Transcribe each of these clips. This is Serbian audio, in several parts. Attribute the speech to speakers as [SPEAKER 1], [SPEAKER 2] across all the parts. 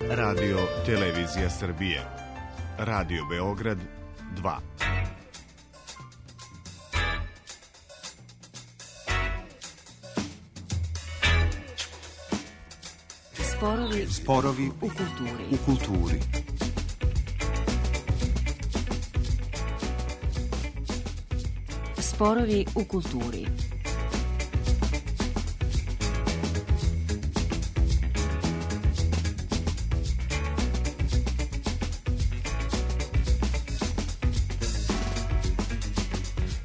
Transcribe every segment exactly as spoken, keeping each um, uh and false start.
[SPEAKER 1] Radio Televizija Srbije. Radio Beograd dva.
[SPEAKER 2] Sporovi,
[SPEAKER 1] Sporovi
[SPEAKER 2] u kulturi.
[SPEAKER 1] U kulturi.
[SPEAKER 2] Sporovi u kulturi.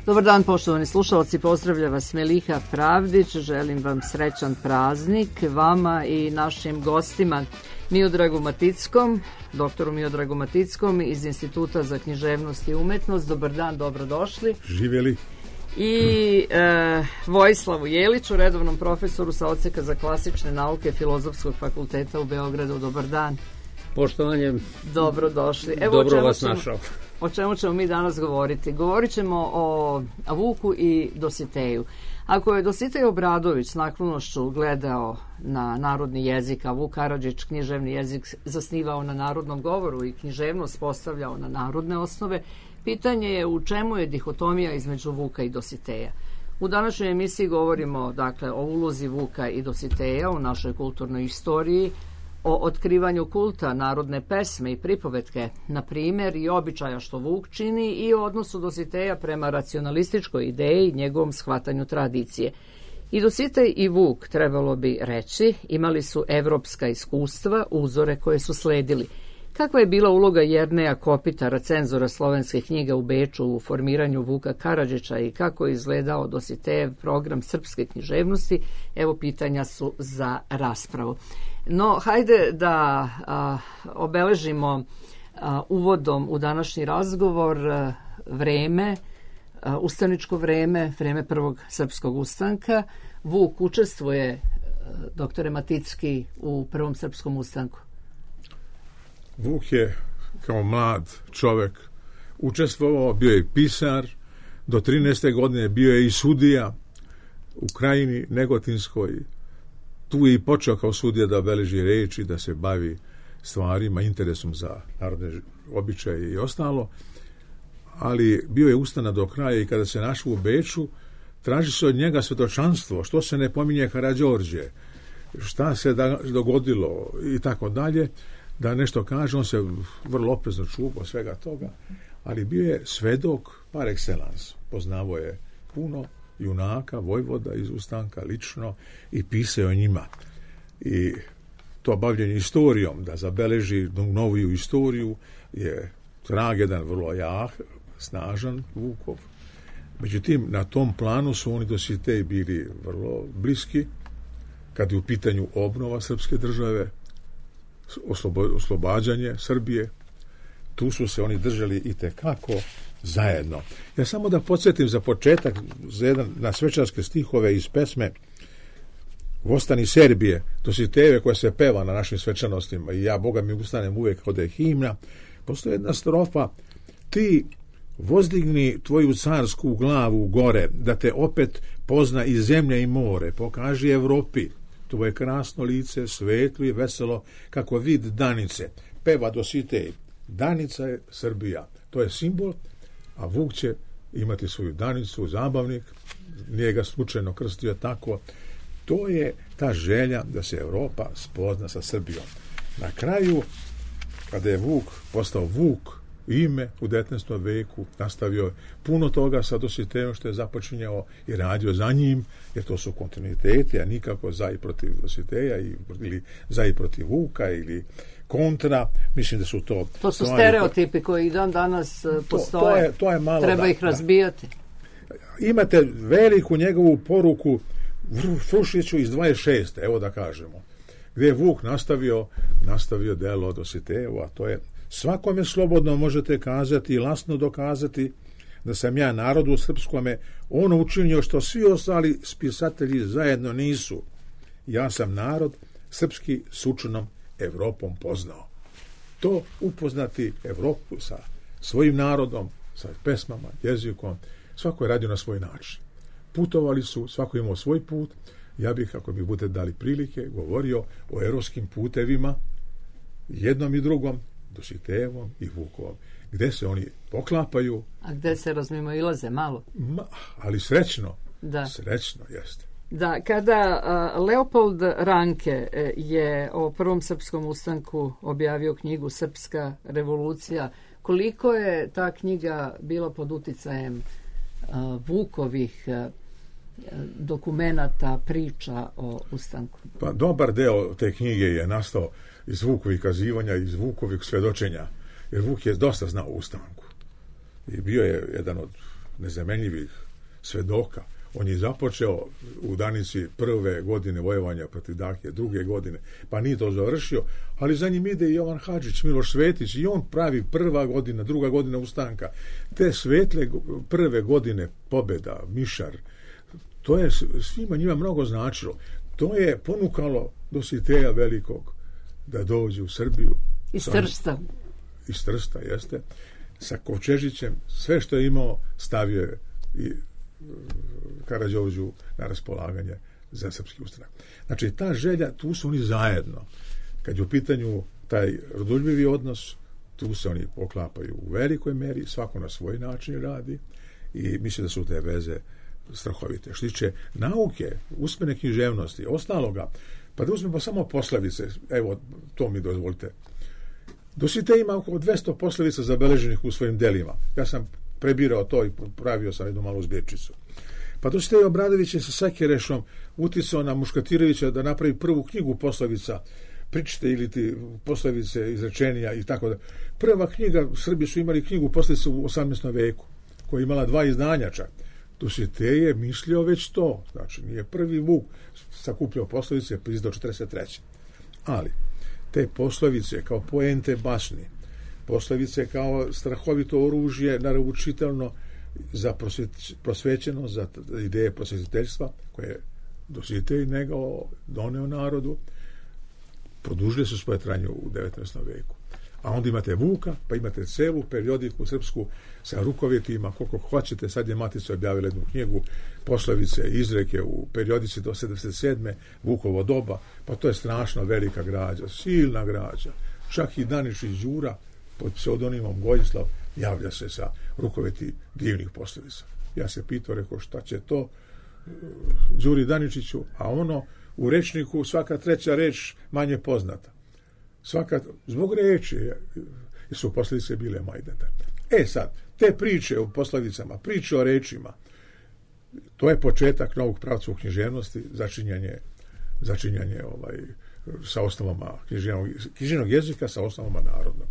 [SPEAKER 3] Dobar dan, poštovani slušalci, pozdravlja vas Meliha Pravdić, želim vam srećan praznik, vama i našim gostima Miodragu Matickom, doktoru Miodragu Matickom iz Instituta za književnost i umetnost. Dobar dan, dobrodošli.
[SPEAKER 4] Živjeli.
[SPEAKER 3] I e, Vojislavu Jeliću, redovnom profesoru sa odseka za klasične nauke Filozofskog fakulteta u Beogradu. Dobar dan.
[SPEAKER 5] Poštovanje.
[SPEAKER 3] Dobrodošli. Evo,
[SPEAKER 5] dobro vas našao.
[SPEAKER 3] O čemu ćemo mi danas govoriti? Govorit ćemo o Vuku i Dositeju. Ako je Dositej Obradović s naklonošću gledao na narodni jezik, a Vuk Karadžić književni jezik zasnivao na narodnom govoru i književnost postavljao na narodne osnove, pitanje je u čemu je dihotomija između Vuka i Dositeja. U današnjoj emisiji govorimo dakle o ulozi Vuka i Dositeja u našoj kulturnoj istoriji, o otkrivanju kulta narodne pesme i pripovetke, na primjer, i običaja što Vuk čini i o odnosu Dositeja prema racionalističkoj ideji i njegovom shvatanju tradicije. I Dositej i Vuk, trebalo bi reći, imali su evropska iskustva, uzore koje su sledili. Kakva je bila uloga Jerneja Kopitara, cenzora slovenske knjige u Beču u formiranju Vuka Karadžića i kako je izgledao Dositejev program srpske književnosti? Evo, pitanja su za raspravu. No, hajde da a, obeležimo a, uvodom u današnji razgovor a, vreme, a, ustaničko vreme, vreme prvog srpskog ustanka. Vuk učestvuje, a, doktore Maticki, u prvom srpskom ustanku.
[SPEAKER 4] Vuk je kao mlad čovjek učestvovao, bio je pisar, do trinaeste godine bio je i sudija u Krajini Negotinskoj. Tu je i počeo kao sudija da beleži reči, da se bavi stvarima, interesom za narodne običaje i ostalo, ali bio je ustana do kraja i kada se našao u Beču, traži se od njega svjedočanstvo, što se ne pominje Karađorđe, šta se da, dogodilo i tako dalje, da nešto kaže. On se vrlo oprezno čuvao svega toga, ali bio je svedok par excellence, poznavao je puno junaka, vojvoda iz ustanka lično i pisao o njima. I to bavljenje istorijom, da zabeleži noviju istoriju, je trag jedan vrlo jak, snažan Vukov. Međutim, na tom planu su oni Dositej bili vrlo bliski, kad je u pitanju obnova srpske države, oslobo, oslobađanje Srbije. Tu su se oni držali itekako zajedno. Ja samo da podsjetim za početak za jedan, na svečarske stihove iz pesme Vostani Serbije, Dositejeve, koja se peva na našim svečanostima i ja, Boga mi, ustanem uvijek od je himna. Postoji jedna strofa: ti vozdigni tvoju carsku glavu gore, da te opet pozna i zemlja i more, pokaži Evropi tvoje krasno lice, svetlo i veselo kako vid danice. Peva Dositej, danica je Srbija, to je simbol, a Vuk će imati svoju danicu, zabavnik, nije ga slučajno krstio tako. To je ta želja da se Evropa spozna sa Srbijom. Na kraju, kada je Vuk postao Vuk, ime u devetnaestom veku, nastavio puno toga sa Dositejom što je započinjao i radio za njim, jer to su kontinuiteti, a nikako za i protiv Dositeja ili za i protiv Vuka ili kontra. Mislim da su to...
[SPEAKER 3] To su stereotipi koji dan danas postoje. To, to je, to je malo, treba da, ih razbijati.
[SPEAKER 4] Da. Imate veliku njegovu poruku Frušiću iz dvadeset šeste, evo da kažemo, gdje je Vuk nastavio, nastavio delo Dositejevo, a to je: svakome slobodno možete kazati i lasno dokazati da sam ja narodu srpskome ono učinio što svi ostali spisatelji zajedno nisu. Ja sam narod srpski s učenom Evropom poznao. To upoznati Evropu sa svojim narodom, sa pesmama, jezikom, svako je radio na svoj način. Putovali su, svako imao svoj put. Ja bih, ako mi budete dali prilike, govorio o europskim putevima jednom i drugom, Dositejevom i Vukovom, gde se oni poklapaju.
[SPEAKER 3] A gde se razmimoilaze malo?
[SPEAKER 4] Ma, ali srećno.
[SPEAKER 3] Da.
[SPEAKER 4] Srećno, jeste.
[SPEAKER 3] Da, kada uh, Leopold Ranke je o prvom srpskom ustanku objavio knjigu Srpska revolucija, koliko je ta knjiga bila pod uticajem uh, Vukovih uh, dokumenata, priča o ustanku?
[SPEAKER 4] Pa dobar deo te knjige je nastao iz Vukovih kazivanja, iz Vukovih svedočenja, jer Vuk je dosta znao o ustanku. I bio je jedan od nezamenljivih svedoka. On je započeo u Danici prve godine vojevanja protiv Dahije, druge godine, pa nije to završio, ali za njim ide i Jovan Hadžić, Miloš Svetić, i on pravi prva godina, druga godina ustanka. Te svetle prve godine pobjeda, Mišar, to je svima njima mnogo značilo. To je ponukalo Dositeja Velikog da dođe u Srbiju.
[SPEAKER 3] Iz Trsta.
[SPEAKER 4] Iz Trsta, jeste. Sa Kovčežićem, sve što je imao stavio je i Karađorđu na raspolaganje za srpski ustanak. Znači, ta želja, tu su oni zajedno. Kad je u pitanju taj rodoljubivi odnos, tu se oni poklapaju u velikoj meri, svako na svoj način radi i mislim da su te veze strahovite. Što tiče nauke, usmene književnosti, ostaloga, pa da uzmemo samo poslavice, evo, to mi dozvolite. Dositej ima oko dvesta poslavica zabeleženih u svojim delima. Ja sam prebirao to i pravio sam jednu malu zbirčicu. Pa Dositej Obradović je sa Sakirešom uticao na Muškatirovića da napravi prvu knjigu poslavica, pričite ili ti poslavice izrečenja i tako da. Prva knjiga, Srbi su imali knjigu poslavice u osamnaestom veku, koja je imala dva izdanja čak. Dositej je mislio već to, znači nije prvi Vuk sakupljao poslavice, pa izdao četrdeset treće. Ali te poslovice kao poente basni, poslovice kao strahovito oružje naručitelno za prosvećeno, za ideje prosvetiteljstva koje je Dositej negao, doneo narodu, produžili su svoje trajanje u devetnaestom veku. A onda imate Vuka, pa imate celu periodiku srpsku sa rukovetima, koliko hoćete. Sad je Matica objavila jednu knjigu poslovice i izreke u periodici do sedamdeset sedme Vukovo doba, pa to je strašno velika građa, silna građa. Čak i Daničić Đura pod pseudonimom Gojislav javlja se sa rukoveti divnih poslovica. Ja se pitao, rekao, šta će to Đuri Daničiću, a ono u rečniku svaka treća reč manje poznata. Svaka, zbog reči su posljedice bile majdete. E sad, te priče o poslovicama, priče o rečima, to je početak novog pravca u književnosti, začinjanje, začinjanje ovaj, sa osnovama književnog, književnog jezika sa osnovama narodnog.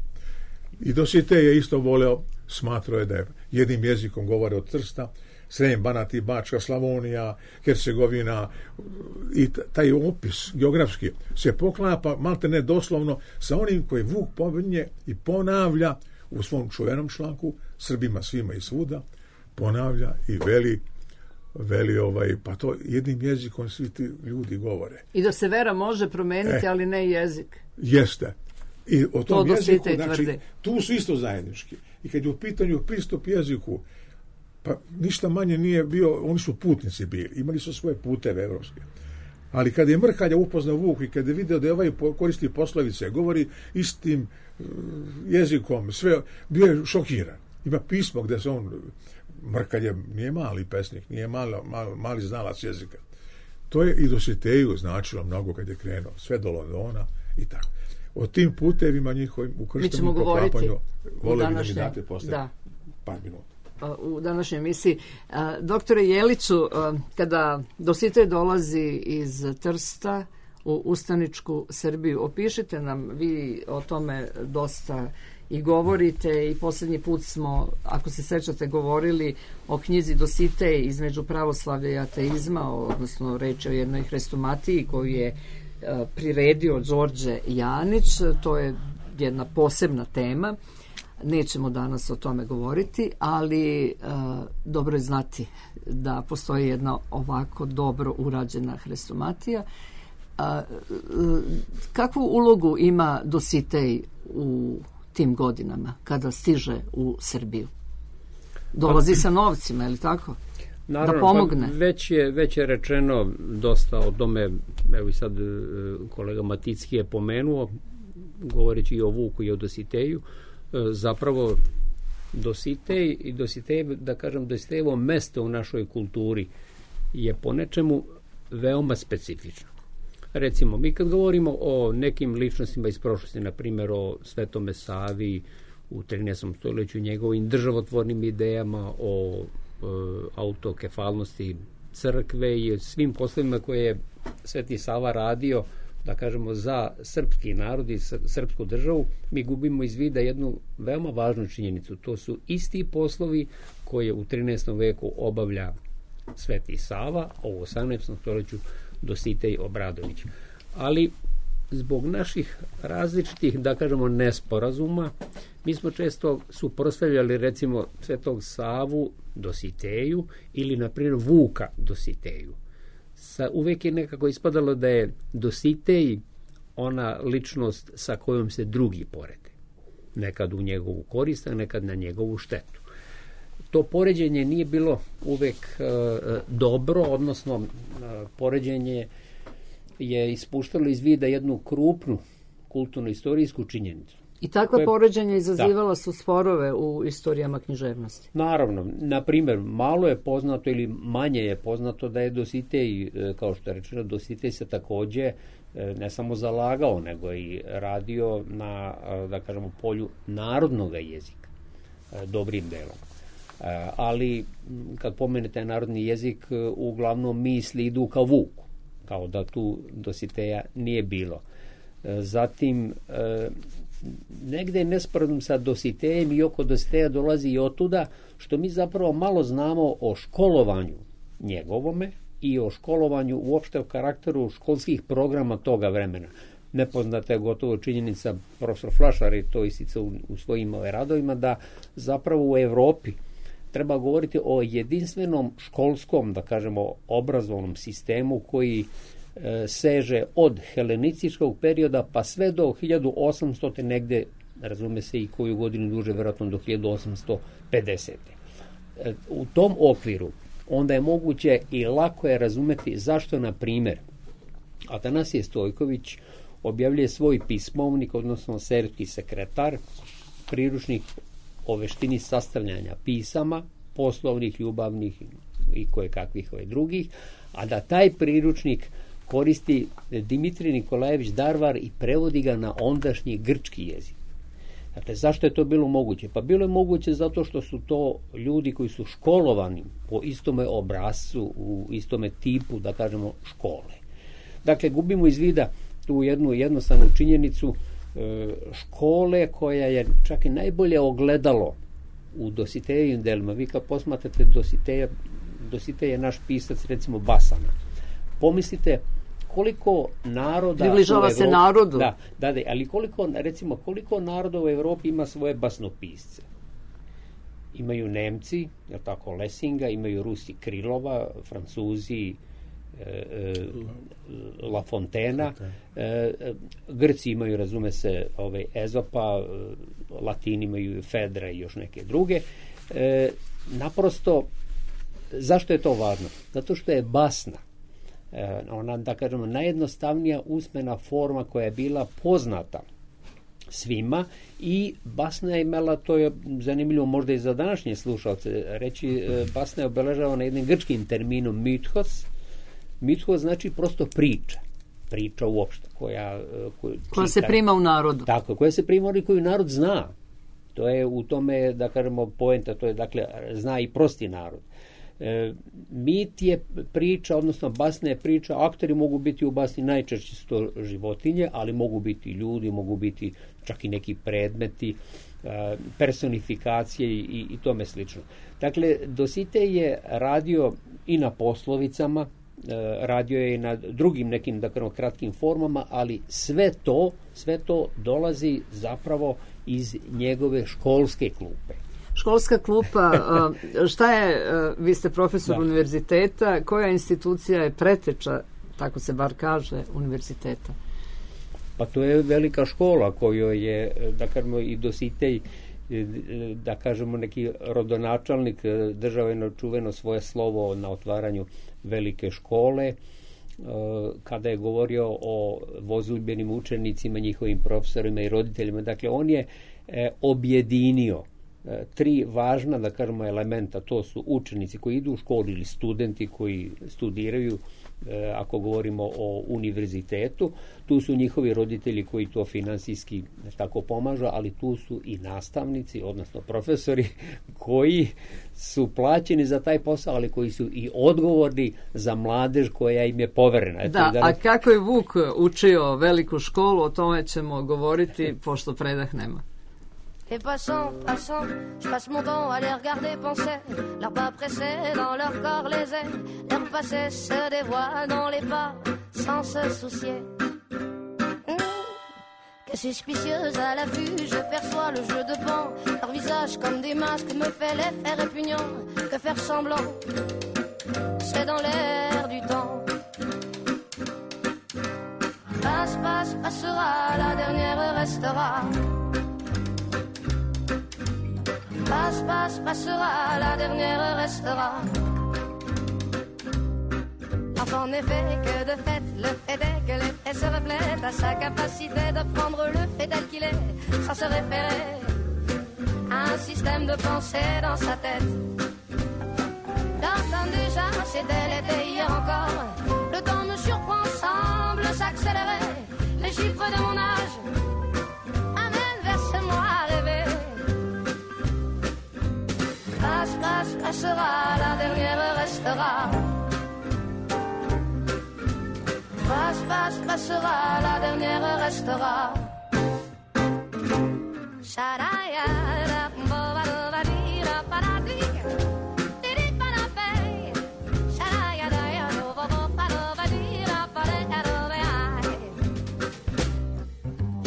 [SPEAKER 4] I Dositej je isto voleo, smatrao je da je jednim jezikom govore od Trsta, Srem, Banat i Bačka, Slavonija, Hercegovina i taj opis geografski se poklapa malte ne doslovno sa onim koji Vuk pominje i ponavlja u svom čuvenom članku Srbima svima i svuda, ponavlja i veli veli ovaj, pa to jednim jezikom svi ti ljudi govore.
[SPEAKER 3] I da se vera može promeniti, e, ali ne jezik.
[SPEAKER 4] Jeste. I o tom
[SPEAKER 3] to
[SPEAKER 4] jeziku, znači, tu su isto zajednički. I kad je u pitanju pristup jeziku, pa ništa manje nije bio, oni su putnici bili, imali su svoje puteve evropske. Ali kad je Mrhalja upoznao Vuk i kad je video da je ovaj koristi poslovice, govori istim jezikom, sve, bio je šokiran. Ima pismo gde se on, Mrhalje nije mali pesnik, nije malo, malo, mali znalac jezika. To je i Dositeju značilo mnogo kad je krenuo, sve do Londona i tako. O tim putevima njihovim ukrštenim poklapanju volio bi da mi date posle par minuta.
[SPEAKER 3] U današnjoj emisiji. Doktore Jeliću, kada Dositej dolazi iz Trsta u ustaničku Srbiju, opišite nam, vi o tome dosta i govorite i posljednji put smo, ako se sećate, govorili o knjizi Dositej između pravoslavlja i ateizma, odnosno reč o jednoj hrestomatiji koju je priredio Đorđe Janić. To je jedna posebna tema. Nećemo danas o tome govoriti, ali uh, dobro je znati da postoji jedna ovako dobro urađena hrestomatija. Uh, uh, kakvu ulogu ima Dositej u tim godinama kada stiže u Srbiju? Dolazi sa novcima, je li tako?
[SPEAKER 5] Naravno,
[SPEAKER 3] da pomogne.
[SPEAKER 5] Pa već je, već je rečeno dosta o tome, evo i sad kolega Maticki je pomenuo, govoreći i o Vuku i o Dositeju, zapravo Dositej i Dositej, da kažem, Dositejevo mesto u našoj kulturi je po nečemu veoma specifično. Recimo, mi kad govorimo o nekim ličnostima iz prošlosti, na primjer o Svetome Savi u trinaestom stoljeću, njegovim državotvornim idejama, o e, autokefalnosti crkve i svim poslovima koje je Sveti Sava radio, da kažemo, za srpski narod i srpsku državu, mi gubimo iz vida jednu veoma važnu činjenicu. To su isti poslovi koje u trinaestom veku obavlja Sveti Sava, a u osamnaestom stoljeću Dositej Obradović. Ali zbog naših različitih, da kažemo, nesporazuma, mi smo često suprotstavljali recimo Svetog Savu Dositeju ili na primjer Vuka Dositeju. Sa, uvijek je nekako ispadalo da je Dositej ona ličnost sa kojom se drugi porede. Nekad u njegovu korist, a nekad na njegovu štetu. To poređenje nije bilo uvijek e, dobro, odnosno e, poređenje je ispuštalo iz vida jednu krupnu kulturno-istorijsku činjenicu.
[SPEAKER 3] I takva
[SPEAKER 5] koje,
[SPEAKER 3] poređenja izazivala
[SPEAKER 5] da.
[SPEAKER 3] su sporove u istorijama književnosti.
[SPEAKER 5] Naravno, na primjer, malo je poznato ili manje je poznato da je Dositej, kao što je rečeno, Dositej se također ne samo zalagao, nego i radio na, da kažemo, polju narodnog jezika, dobrim delom. Ali kad pomenete narodni jezik, uglavnom misli idu ka Vuku, kao da tu Dositeja nije bilo. Zatim, negde je nesporazum sa Dositejem i oko Dositeja dolazi i otuda što mi zapravo malo znamo o školovanju njegovome i o školovanju uopšte o karakteru školskih programa toga vremena. Nepoznata je gotovo činjenica, profesor Flašar je to isticao u, u svojim radovima, da zapravo u Evropi treba govoriti o jedinstvenom školskom, da kažemo, obrazovnom sistemu koji e, seže od helenističkog perioda pa sve do hiljadu osamsto negde, razume se i koju godinu duže, vjerojatno do hiljadu osamsto pedesete. E, u tom okviru onda je moguće i lako je razumeti zašto, na primjer, Atanasije Stojković objavljuje svoj pismovnik, odnosno serbski sekretar, priručnik o veštini sastavljanja pisama, poslovnih, ljubavnih i koje kakvih ove drugih, a da taj priručnik koristi Dimitrij Nikolajević Darvar i prevodi ga na ondašnji grčki jezik. Dakle, zašto je to bilo moguće? Pa bilo je moguće zato što su to ljudi koji su školovani po istome obrascu, u istome tipu, da kažemo, škole. Dakle, gubimo iz vida tu jednu jednostavnu činjenicu škole koja je čak i najbolje ogledalo u Dositejevim delima. Vi kad posmatrate Dositeja, Dositej je naš pisac, recimo, Basana. Pomislite koliko naroda
[SPEAKER 3] približava se narodu.
[SPEAKER 5] Da, da, da, ali koliko, recimo, koliko naroda u Evropi ima svoje basnopisce? Imaju Nemci, je tako, Lessinga, imaju Rusi Krilova, Francuzi La Fontena, Grci imaju, razume se, ove Ezopa, Latini imaju Fedra i još neke druge. Naprosto, zašto je to važno? Zato što je basna, ona, da kažemo, najjednostavnija usmena forma koja je bila poznata svima, i basna je imala, to je zanimljivo možda i za današnje slušalce reći, basna je obeležavana jednim grčkim terminom mythos. Mythos znači prosto priča, priča uopšte, koja, koja,
[SPEAKER 3] koja se prima u narodu.
[SPEAKER 5] Tako, koja se prima u koju narod zna. To je u tome, da kažemo, poenta, to je, dakle, zna i prosti narod. E, mit je priča, odnosno basna je priča, akteri mogu biti u basni, najčešće su to životinje, ali mogu biti ljudi, mogu biti čak i neki predmeti, e, personifikacije i, i tome slično. Dakle, Dositej je radio i na poslovicama, radio je i na drugim nekim, da kažemo, kratkim formama, ali sve to, sve to dolazi zapravo iz njegove školske klupe.
[SPEAKER 3] Školska klupa, šta je, vi ste profesor
[SPEAKER 5] da.
[SPEAKER 3] univerziteta, koja institucija je preteča, tako se bar kaže, univerziteta?
[SPEAKER 5] Pa to je velika škola kojoj je, da kažemo, i Dositej, da kažemo, neki rodonačelnik, držao je čuveno svoje slovo na otvaranju velike škole. kada je govorio o vozudbenim učenicima, njihovim profesorima i roditeljima. Dakle, on je objedinio tri važna, da kažemo, elementa. To su učenici koji idu u školu ili studenti koji studiraju, ako govorimo o univerzitetu. Tu su njihovi roditelji koji to finansijski tako pomažu, ali tu su i nastavnici, odnosno profesori koji su plaćeni za taj posao, ali koji su i odgovorni za mladež koja im je poverena. Eto,
[SPEAKER 3] da,
[SPEAKER 5] da,
[SPEAKER 3] a kako je Vuk učio veliku školu, o tome ćemo govoriti, pošto predah nema.
[SPEAKER 6] Et passant, passant, je passe mon temps à les regarder penser. Leurs pas pressés dans leur corps les ailes. Leur passé se dévoile dans les pas sans se soucier. Mmh. Que suspicieuse à la vue, je perçois le jeu de pan. Leur visage comme des masques me fait l'effet répugnant. Que faire semblant, c'est dans l'air du temps. Passe, passe, passera, la dernière restera. Passe, passe, passera, la dernière restera. En effet, que de fait, le fait est que l'effet se reflète à sa capacité de prendre le fait tel qu'il est, sans se référer à un système de pensée dans sa tête. Quand déjà, c'était l'été hier encore, le temps me surprend, semble s'accélérer. Les chiffres de mon âge amènent vers ce moi à rêver. Passe, passe, passera, la dernière restera. Passe, passe, passera, la dernière restera.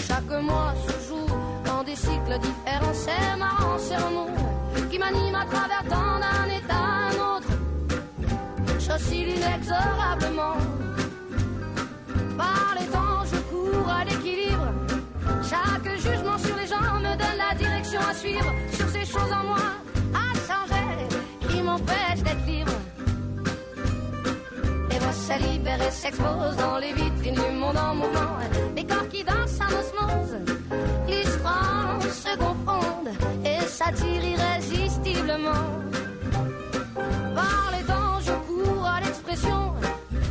[SPEAKER 6] Chaque mois se joue dans des cycles différents, c'est marrant, c'est remous qui m'anime à travers tant d'un état à un autre. J'oscille inexorablement. Par les temps, je cours à l'équilibre. Chaque jugement sur les gens me donne la direction à suivre. Sur ces choses en moi à changer qui m'empêchent d'être libre. Les voix se libèrent et s'exposent dans les vitrines du monde en mouvement. Les corps qui dansent en osmose, l'histoire se confondent et s'attirent irrésistiblement. Par les temps, je cours à l'expression.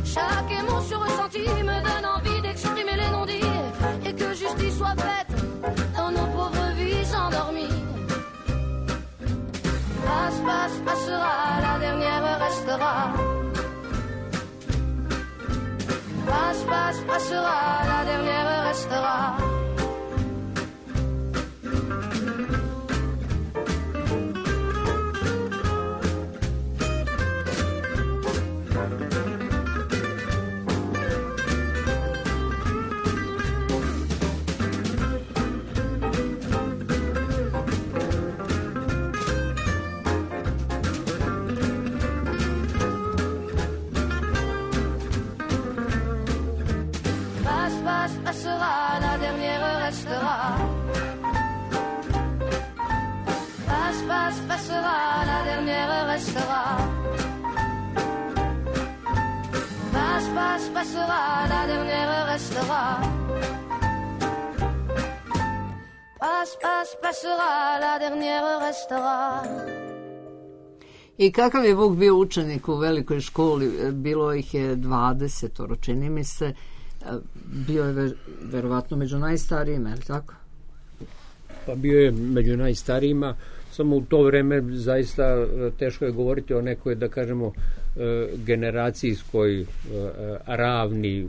[SPEAKER 6] Chaque émotion ressentie me donne envie d'exprimer les non-dits et que justice soit faite dans nos pauvres vies endormies. Passe, passe, passera, la dernière restera. Passe, passe, passera, la dernière restera. Passera, la dernière restera. Passe, passe, passera, la dernière restera. Passe, passe, passera, la dernière restera. Passe, passe, passera, la dernière restera.
[SPEAKER 3] I kakav je Vuk bio učenik u velikoj školi? Bilo ih je dvadesetoro, čini mi se. Bio je ver, verovatno među najstarijima, je li tako?
[SPEAKER 5] Pa bio je među najstarijima, samo u to vreme zaista teško je govoriti o nekoj, da kažemo, generacijskoj ravni.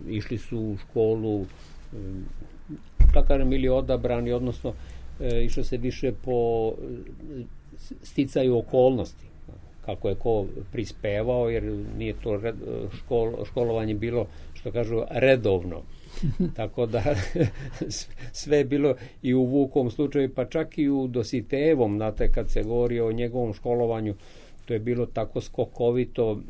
[SPEAKER 5] Išli su u školu, da kažem, ili odabrani, odnosno išlo se više po sticaju okolnosti, kako je ko prispevao, jer nije to red, škol, školovanje bilo, što kažu, redovno. Tako da sve je bilo i u Vukovom slučaju, pa čak i u Dositejevom, znate, kad se govori o njegovom školovanju, to je bilo tako skokovito,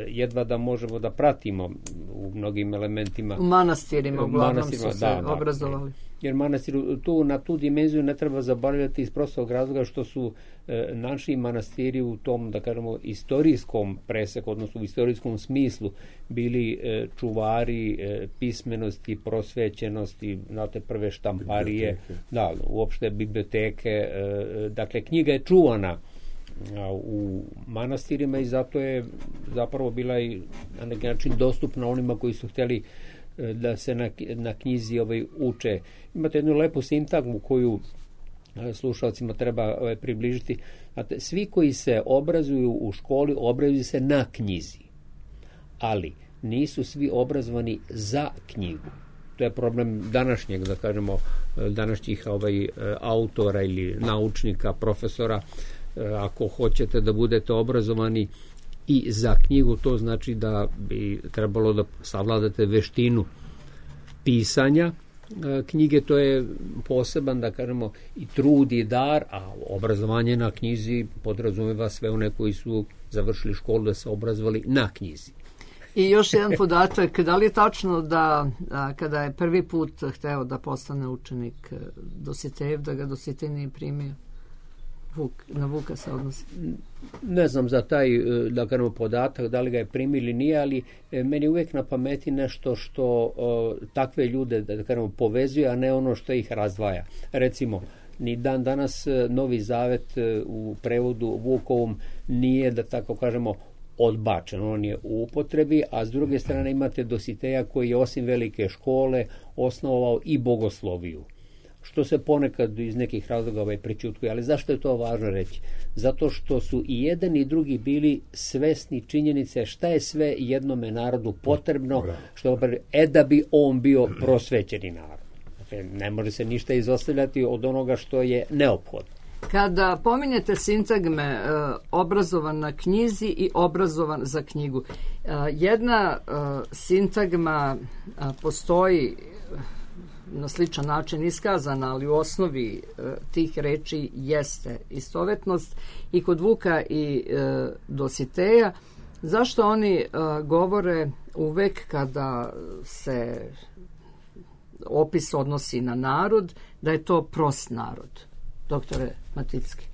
[SPEAKER 5] jedva da možemo da pratimo u mnogim elementima.
[SPEAKER 3] U manastirima uglavnom su se
[SPEAKER 5] da,
[SPEAKER 3] obrazovali.
[SPEAKER 5] Da, jer manastir tu, na tu dimenziju ne treba zaboravljati iz prostog razloga što su e, naši manastiri u tom, da kažemo, istorijskom preseku, odnosno u istorijskom smislu bili e, čuvari e, pismenosti, prosvećenosti, znate, prve štamparije, biblioteke. Da, uopšte biblioteke, e, dakle, knjiga je čuvana u manastirima i zato je zapravo bila i na neki način dostupna onima koji su htjeli da se na, na knjizi ovaj uče. Imate jednu lepu sintagmu koju slušalcima treba ovaj, približiti. Znate, svi koji se obrazuju u školi obrazuju se na knjizi, ali nisu svi obrazovani za knjigu. To je problem današnjeg, da kažemo, današnjih ovaj, autora ili naučnika, profesora. Ako hoćete da budete obrazovani i za knjigu, to znači da bi trebalo da savladate veštinu pisanja knjige, to je poseban, da kažemo, i trud i dar, a obrazovanje na knjizi podrazumeva sve one koji su završili školu da se obrazovali na knjizi.
[SPEAKER 3] I još jedan podatak, da li je tačno da a, kada je prvi put hteo da postane učenik Dositejev, da ga Dositej nije primio? Vuk, na Vuka se odnosi.
[SPEAKER 5] Ne znam za taj, da kažemo, podatak, da li ga je primio ili nije, ali meni uvijek na pameti nešto što o, takve ljude, da kažemo, povezuje, a ne ono što ih razdvaja. Recimo, ni dan danas Novi Zavet u prevodu Vukovom nije, da tako kažemo, odbačen. On je u upotrebi, a s druge strane imate Dositeja koji je osim velike škole osnovao i bogosloviju, što se ponekad iz nekih razloga ovaj prećutkuje. Ali zašto je to važno reći? Zato što su i jedan i drugi bili svesni činjenice šta je sve jednome narodu potrebno, što e da bi on bio prosvećeni narod. Dakle, ne može se ništa izostavljati od onoga što je neophodno.
[SPEAKER 3] Kada pominjete sintagme e, obrazovan na knjizi i obrazovan za knjigu, e, jedna e, sintagma e, postoji na sličan način iskazana, ali u osnovi e, tih reči jeste istovetnost i kod Vuka i e, Dositeja. Zašto oni e, govore uvek kada se opis odnosi na narod, da je to prost narod? Doktore Maticki.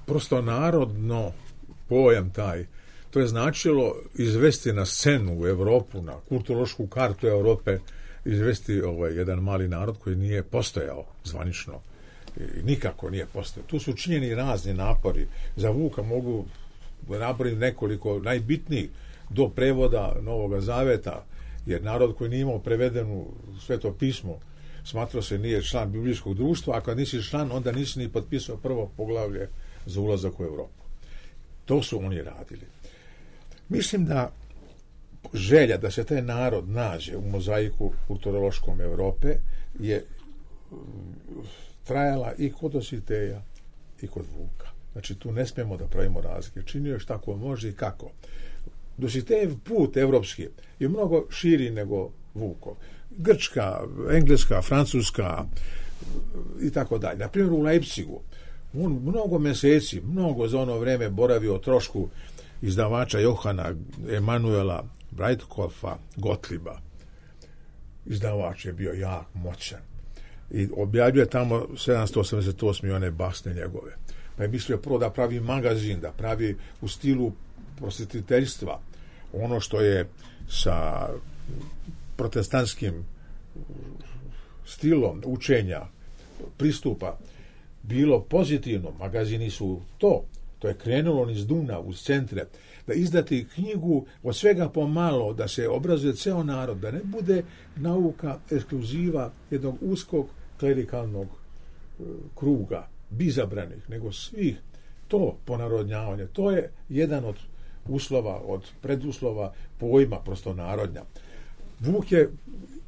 [SPEAKER 4] Prosto narodno pojam taj, to je značilo izvesti na scenu u Evropu, na kulturološku kartu Europe, izvesti ovaj jedan mali narod koji nije postojao zvanično i nikako nije postojao. Tu su činjeni razni napori. Za Vuka mogu napraviti nekoliko najbitnijih do prevoda Novoga Zaveta, jer narod koji nije imao prevedenu Sveto pismo smatrao se nije član biblijskog društva, a kad nisi član, onda nisi ni potpisao prvo poglavlje za ulazak u Evropu. To su oni radili. Mislim da želja da se taj narod nađe u mozaiku kulturološkom Evrope je trajala i kod Dositeja i kod Vuka. Znači, tu ne smijemo da pravimo razlike. Činio je šta ko može i kako. Dositejev put evropski je mnogo širi nego Vukov. Grčka, engleska, francuska i tako dalje. Na primjer, u Leipzigu on mnogo meseci, mnogo za ono vreme boravio o trošku izdavača Johana Emanuela Breitkopfa Gottlieba. Izdavač je bio jak, moćan. I objavljuje tamo sedamsto osamdeset osam one basne njegove. Pa je mislio prvo da pravi magazin, da pravi u stilu prosvetiteljstva. Ono što je sa protestantskim stilom učenja, pristupa, bilo pozitivno. Magazini su to. To je krenulo niz Duna, uz centre. Da izdati knjigu od svega pomalo, da se obrazuje ceo narod, da ne bude nauka ekskluziva jednog uskog klerikalnog uh, kruga, bizabranih, nego svih. To ponarodnjavanje, to je jedan od uslova, od preduslova pojma prosto narodnja. Vuk je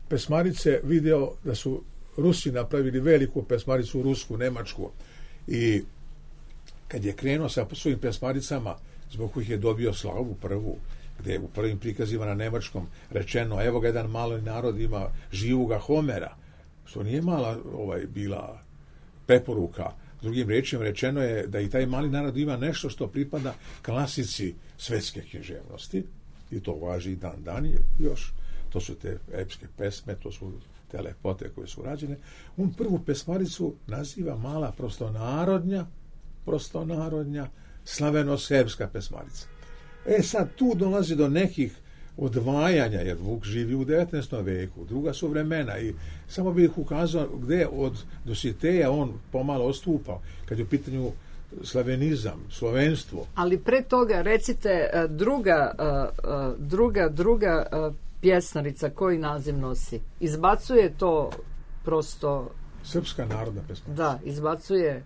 [SPEAKER 4] pesmarice video da su Rusi napravili veliku pesmaricu, rusku, nemačku, i kad je krenuo sa svojim pesmaricama, zbog kojih je dobio slavu prvu, gde je u prvim prikazima na nemačkom rečeno, evo ga jedan mali narod ima živoga Homera, što nije mala ovaj bila preporuka, Drugim rečima rečeno je da i taj mali narod ima nešto što pripada klasici svetske književnosti, i to važi i dan dan još. To su te epske pesme, to su te lepote koje su rađene. On prvu pesmaricu naziva mala prostonarodnja, prostonarodnja, slaveno-serbska pesmarica. E sad, tu dolazi do nekih odvajanja, jer Vuk živi u devetnaestom veku, druga su vremena, i samo bih ukazao gde od Dositeja on pomalo odstupao, kad je u pitanju slavenizam, slovenstvo.
[SPEAKER 3] Ali pre toga, recite, druga, druga, druga pjesnarica, koji naziv nosi? Izbacuje to prosto...
[SPEAKER 4] Srpska narodna pesmarica.
[SPEAKER 3] Da, izbacuje...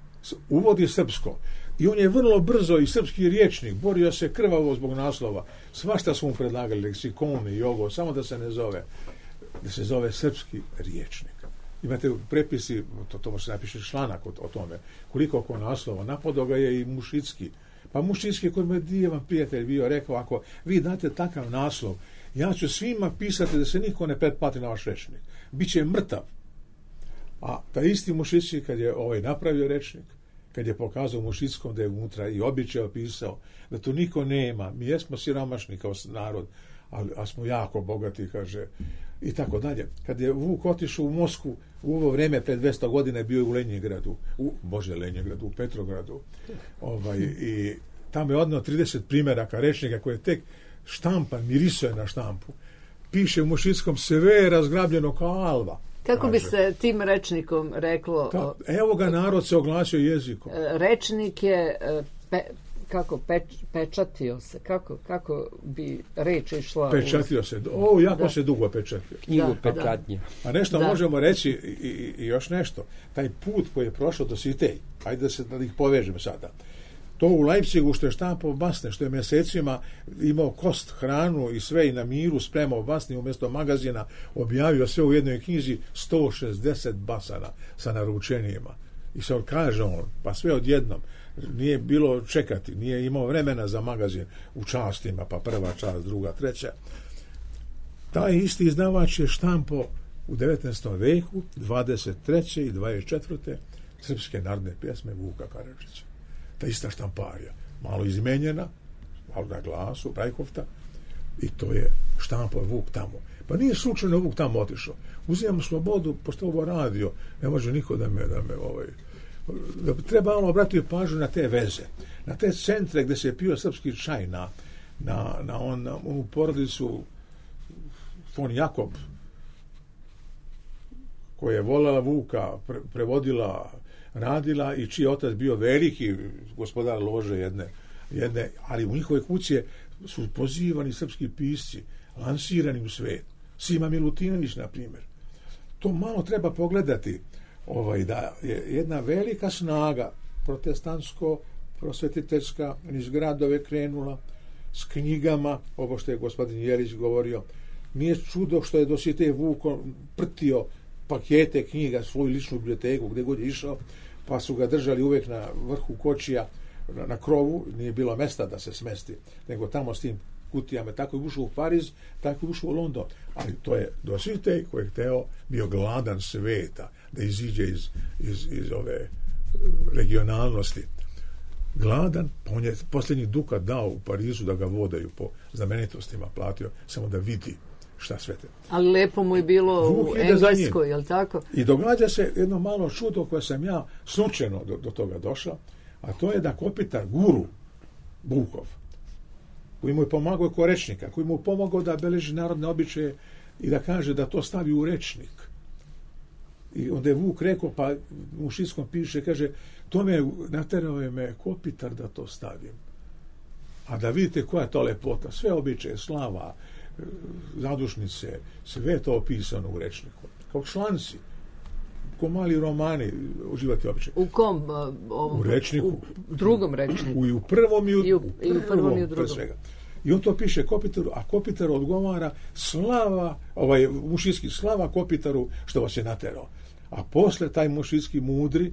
[SPEAKER 4] Uvodi srpsko. I on je vrlo brzo i srpski riječnik, borio se krvavo zbog naslova. Svašta su mu predlagali, leksikoni i ovo, samo da se ne zove, da se zove srpski riječnik. Imate prepisi, to, to može napiše članak o, o tome, koliko oko naslova. Napadao ga je i Mušicki. Pa Mušicki, koji mu je divan prijatelj bio, rekao, ako vi date takav naslov, ja ću svima pisati da se niko ne pretplati na vaš rečnik. Biće mrtav. A ta isti Mušicki, kad je ovaj napravio rečnik, kad je pokazao Mušickom da je unutra i običaj opisao da to niko nema, mi jesmo siromašni kao narod, ali, ali smo jako bogati, kaže, i tako dalje. Kad je Vuk otišao u Moskvu, u ovo vreme pred dvesta godina je bio u Lenjingradu, u, bože Lenjingradu, u Petrogradu, ovaj, i tamo je odneo trideset primjeraka rečnika koje je tek štampan, mirisuje na štampu. Piše u Mušickom, sve je razgrabljeno kao alva.
[SPEAKER 3] Kako bi se tim rečnikom reklo?
[SPEAKER 4] Ta, evo ga, narod se oglasio jezikom.
[SPEAKER 3] Rečnik je pe, kako peč, pečatio se, kako kako bi reč išla?
[SPEAKER 4] Pečatio se. O, jako da. se dugo pečatio.
[SPEAKER 5] Knjigu da, pečatnje.
[SPEAKER 4] A nešto
[SPEAKER 3] da.
[SPEAKER 4] možemo reći i, i, i još nešto. Taj put koji je prošao do Sitej, ajde da se da ih povežemo sada. To u Leipzigu što je štampao basne, što je mjesecima imao kost, hranu i sve i na miru spremao basni umjesto magazina, objavio sve u jednoj knjizi, sto šezdeset basana sa naručenjima. I sad kaže on, pa sve odjednom, nije bilo čekati, nije imao vremena za magazin u častima, pa prva čast, druga, treća. Taj isti izdavač je štampao u devetnaestom veku, dvadeset treće i dvadeset četvrte srpske narodne pjesme Vuka Karadžića. Ta ista štamparija, malo izmenjena, malo na glasu, Brajkovta, i to je štampao Vuk tamo. Pa nije slučajno Vuk tamo otišao. Uzimam slobodu, pošto ovo radio, ne može niko da me, da me ovaj, da treba ono obratiti pažnju na te veze, na te centre gde se je pio srpski čaj, na, na, na, on, na onu porodicu von Jakob, koja je voljela Vuka, pre, prevodila, radila i čiji otac bio veliki gospodar lože jedne, jedne, ali u njihove kuće su pozivani srpski pisci, lansirani u svet. Sima Milutinović, na primjer. To malo treba pogledati, ovaj, da je jedna velika snaga protestantsko-prosvetiteljska iz gradove krenula s knjigama, ovo što je gospodin Jelić govorio. Nije čudo što je Dositej Vuko prtio pakete knjiga, svoju ličnu biblioteku, gdje god je išao, pa su ga držali uvijek na vrhu kočija, na, na krovu, nije bilo mesta da se smesti, nego tamo s tim kutijama. Tako je ušao u Pariz, tako je ušao u London. Ali to je Dositej koji je hteo, bio gladan sveta, da iziđe iz, iz, iz ove regionalnosti. Gladan, pa on je posljednji dukat dao u Parizu da ga vodaju po znamenitostima, platio samo da vidi šta sve te.
[SPEAKER 3] Ali lepo mu je bilo Vuk u Engleskoj, je li tako?
[SPEAKER 4] I događa se jedno malo čudo koje sam ja slučajno do, do toga došao, a to je da Kopitar, guru Vukov, koji mu je pomagao kao rečnika, koji mu je pomagao da beleži narodne običaje i da kaže da to stavi u rečnik. I onda je Vuk rekao, pa u Šiskom piše, kaže, to me naterao je me Kopitar da to stavim. A da vidite koja je to lepota, sve običaje, slava, zadušnice, sve to opisano u rečniku. Kao članci, kao mali romani, uživati običaj.
[SPEAKER 3] U kom? Uh, ovom,
[SPEAKER 4] u rečniku.
[SPEAKER 3] U drugom rečniku.
[SPEAKER 4] U, i u prvom i u,
[SPEAKER 3] I u, i u prvom
[SPEAKER 4] prvom,
[SPEAKER 3] i u drugom.
[SPEAKER 4] Svega. I on to piše Kopitaru, a Kopitar odgovara slava, ovaj Mušicki, slava Kopitaru što vas je naterao. A posle taj Mušicki mudri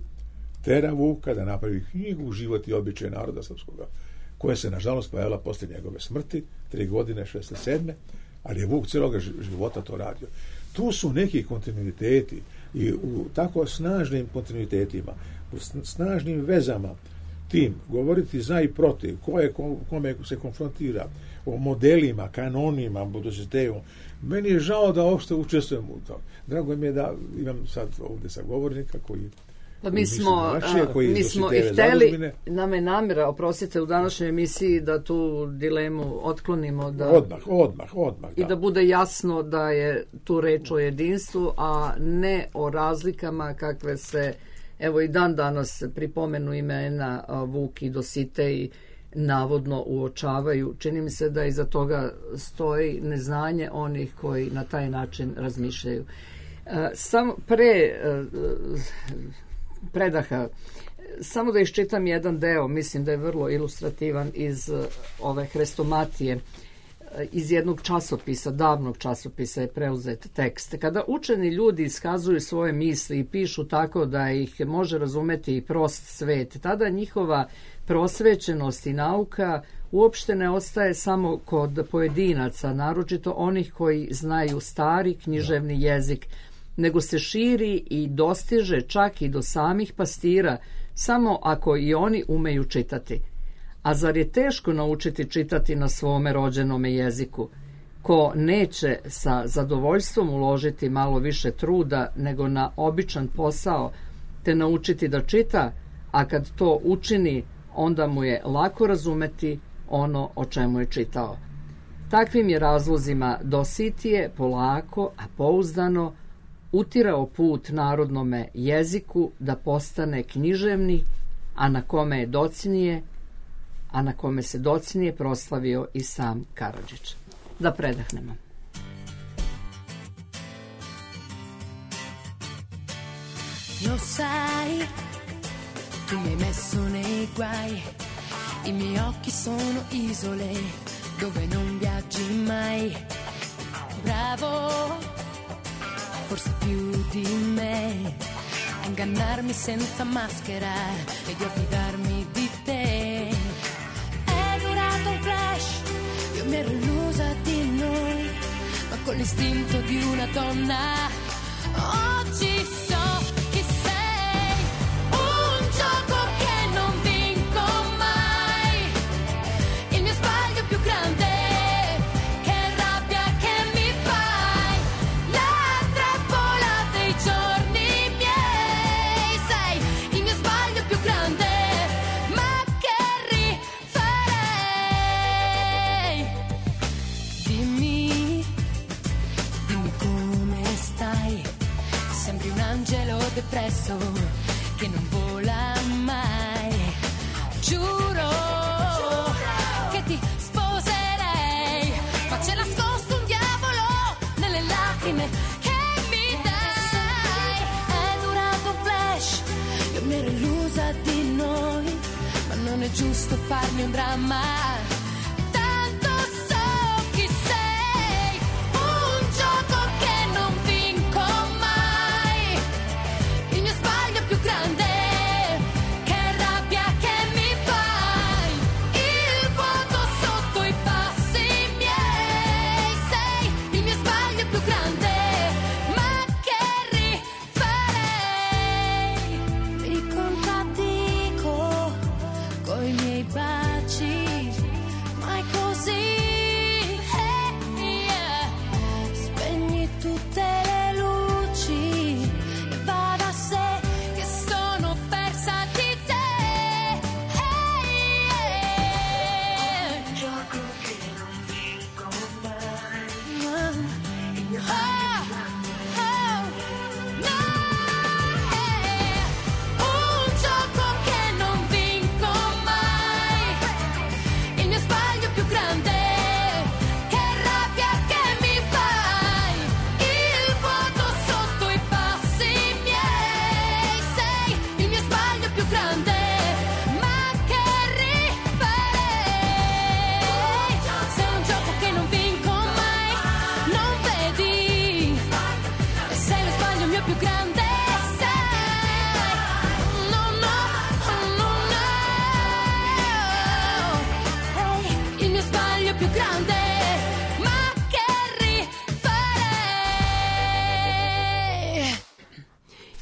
[SPEAKER 4] tera Vuka da napravi knjigu Život i običaj naroda srpskoga, koja se nažalost pojavila posle njegove smrti, tri godine, šezdeset sedme, ali je Vuk cijelog života to radio. Tu su neki kontinuiteti. I u tako snažnim kontinuitetima, u snažnim vezama, tim, govoriti za i protiv, ko je, kome se konfrontira, o modelima, kanonima, Dositejevom. Meni je žao da uopšte učestvujem u to. Drago mi je da imam sad ovdje sagovornika koji
[SPEAKER 3] Pa mi smo, mi smo i hteli, nam je namjera, oprostite, u današnjoj emisiji da tu dilemu otklonimo. Da,
[SPEAKER 4] odmah, odmah, odmah.
[SPEAKER 3] I da. da bude jasno da je tu reč o jedinstvu, a ne o razlikama kakve se, evo i dan danas pri pomenu imena Vuk i Dositej navodno uočavaju. Čini mi se da iza toga stoji neznanje onih koji na taj način razmišljaju. Samo pre predaha, samo da iščitam jedan deo, mislim da je vrlo ilustrativan iz ove hrestomatije, iz jednog časopisa, davnog časopisa je preuzet tekst. Kada učeni ljudi iskazuju svoje misli i pišu tako da ih može razumeti i prost svet, tada njihova prosvećenost i nauka uopšte ne ostaje samo kod pojedinaca, naročito onih koji znaju stari književni jezik, nego se širi i dostiže čak i do samih pastira, samo ako i oni umeju čitati. A zar je teško naučiti čitati na svome rođenome jeziku? Ko neće sa zadovoljstvom uložiti malo više truda nego na običan posao, te naučiti da čita, a kad to učini, onda mu je lako razumeti ono o čemu je čitao. Takvim je razlozima Dositije polako, a pouzdano, utirao put narodnome jeziku da postane književni, a na kome je docnije, a na kome se docnije proslavio i sam Karadžić. Da predahnemo.
[SPEAKER 7] Lo sai, tu mi hai messo nei guai, i miei occhi sono isole dove non viaggi mai. Bravo, forse più di me, a ingannarmi senza maschera ed io fidarmi di te. È durato un flash, io mi ero illusa di noi, ma con l'istinto di una donna oggi so chi sei. Un gioco che non vinco mai, il mio sbaglio più grande. Depresso che non vola mai, giuro, giuro che ti sposerei, ma c'è nascosto un diavolo nelle lacrime che mi dai. È durato un flash, io mi ero illusa di noi, ma non è giusto farne un dramma.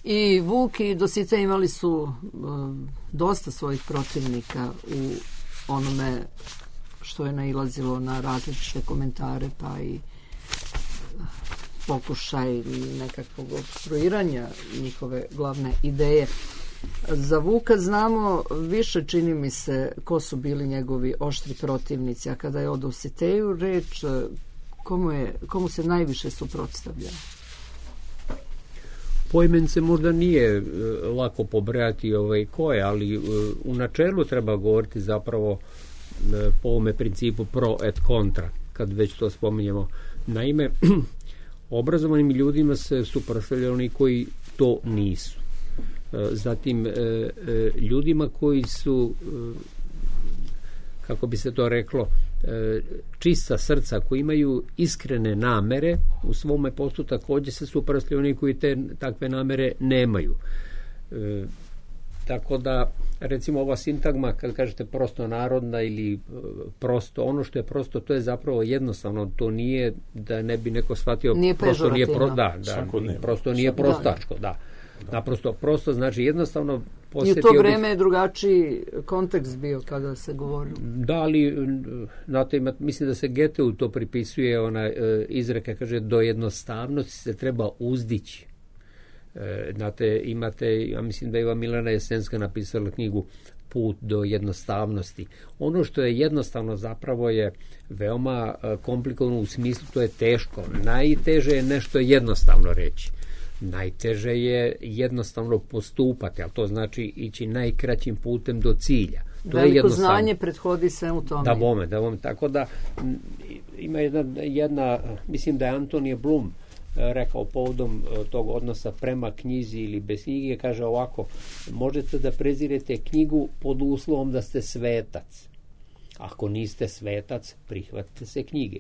[SPEAKER 3] I Vuk i Dositej imali su um, dosta svojih protivnika u onome što je nailazilo na različite komentare, pa i pokušaj nekakvog obstruiranja njihove glavne ideje. Za Vuka znamo više, čini mi se, ko su bili njegovi oštri protivnici, a kada je o Dositeju reč, komu, je, komu se najviše suprotstavljao?
[SPEAKER 5] Poimence možda nije e, lako pobrojati ovaj koje, ali e, u načelu treba govoriti zapravo e, po ovome principu pro et contra, kad već to spominjemo. Naime, obrazovanim ljudima se suprotstavljaju oni koji to nisu. E, zatim, e, e, ljudima koji su, e, kako bi se to reklo, e, čista srca, koji imaju iskrene namere, u svome poslu također se suprotstavljaju oni koji te takve namere nemaju. E, tako da, recimo, ova sintagma, kad kažete prosto narodna ili prosto, ono što je prosto, to je zapravo jednostavno, to nije da ne bi neko shvatio,
[SPEAKER 3] nije
[SPEAKER 5] prosto nije pro, da, da, prosto nije prostačko, da. Da. Naprosto, prosto znači jednostavno
[SPEAKER 3] i u to vreme je drugačiji kontekst bio kada se govorilo.
[SPEAKER 5] Da, ali znate, mislim da se Goetheu to pripisuje, ona e, izreka kaže do jednostavnosti se treba uzdići. E, znate, imate, ja mislim da je Iva Milena Jesenska napisala knjigu Put do jednostavnosti. Ono što je jednostavno zapravo je veoma komplikovano, u smislu to je teško. Najteže je nešto jednostavno reći. Najteže je jednostavno postupati, ali to znači ići najkraćim putem do cilja. To
[SPEAKER 3] Veliko je znanje prethodi sve u tome.
[SPEAKER 5] Da bome, da bome. Tako da ima jedna, jedna, mislim da je Antonije Blum rekao povodom tog odnosa prema knjizi ili bez knjige, kaže ovako, možete da prezirete knjigu pod uslovom da ste svetac. Ako niste svetac, prihvatite se knjige.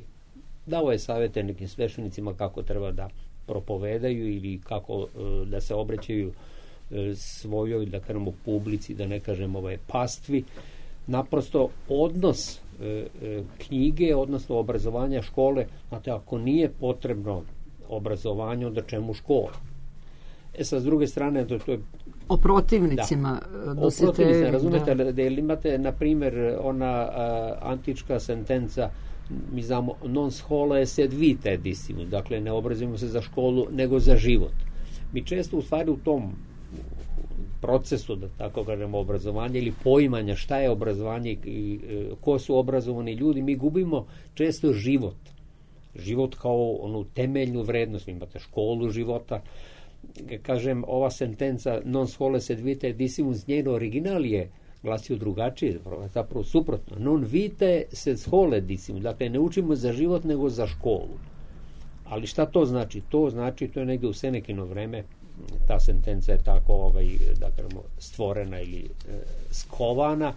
[SPEAKER 5] Dao je savjete nekim sveštenicima kako treba da propovedaju ili kako e, da se obraćaju e, svojoj, da kažemo, publici, da ne kažem ovaj pastvi. Naprosto odnos e, e, knjige, odnosno obrazovanja škole, znate, ako nije potrebno obrazovanje, onda čemu škola? E sad, s druge strane, to, to je...
[SPEAKER 3] O protivnicima.
[SPEAKER 5] Da. O protivnicima, razumete, da, da imate, na primjer, ona a, antička sentenca, mi znamo, non scholae sed vitae discimus, dakle ne obrazujemo se za školu nego za život. Mi često u stvari u tom procesu, da tako kažemo, obrazovanja ili poimanja šta je obrazovanje i ko su obrazovani ljudi, mi gubimo često život. Život kao onu temeljnu vrednost. Vi imate školu života. Kažem, ova sentenca non scholae sed vitae discimus, njeno original je glasio drugačije, zapravo suprotno. Non vitae sed scholae discimus. Dakle, ne učimo za život, nego za školu. Ali šta to znači? To znači, to je negdje u Senekino vreme, ta sentenca je tako ovaj, da kažemo, stvorena ili e, skovana,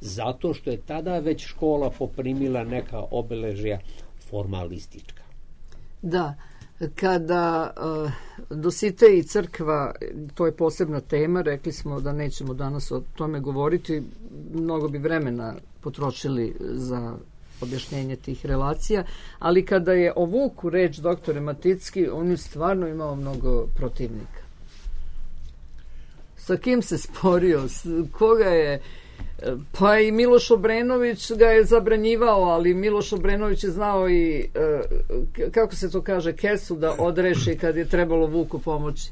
[SPEAKER 5] zato što je tada već škola poprimila neka obeležja formalistička.
[SPEAKER 3] Da. Kada uh, Dositej i crkva, to je posebna tema, rekli smo da nećemo danas o tome govoriti, mnogo bi vremena potrošili za objašnjenje tih relacija, ali kada je o Vuku reč, doktore Maticki, on je stvarno imao mnogo protivnika. Sa kim se sporio, koga je... Pa i Miloš Obrenović ga je zabranjivao, ali Miloš Obrenović je znao i, kako se to kaže, kesu da odreši kad je trebalo Vuku pomoći.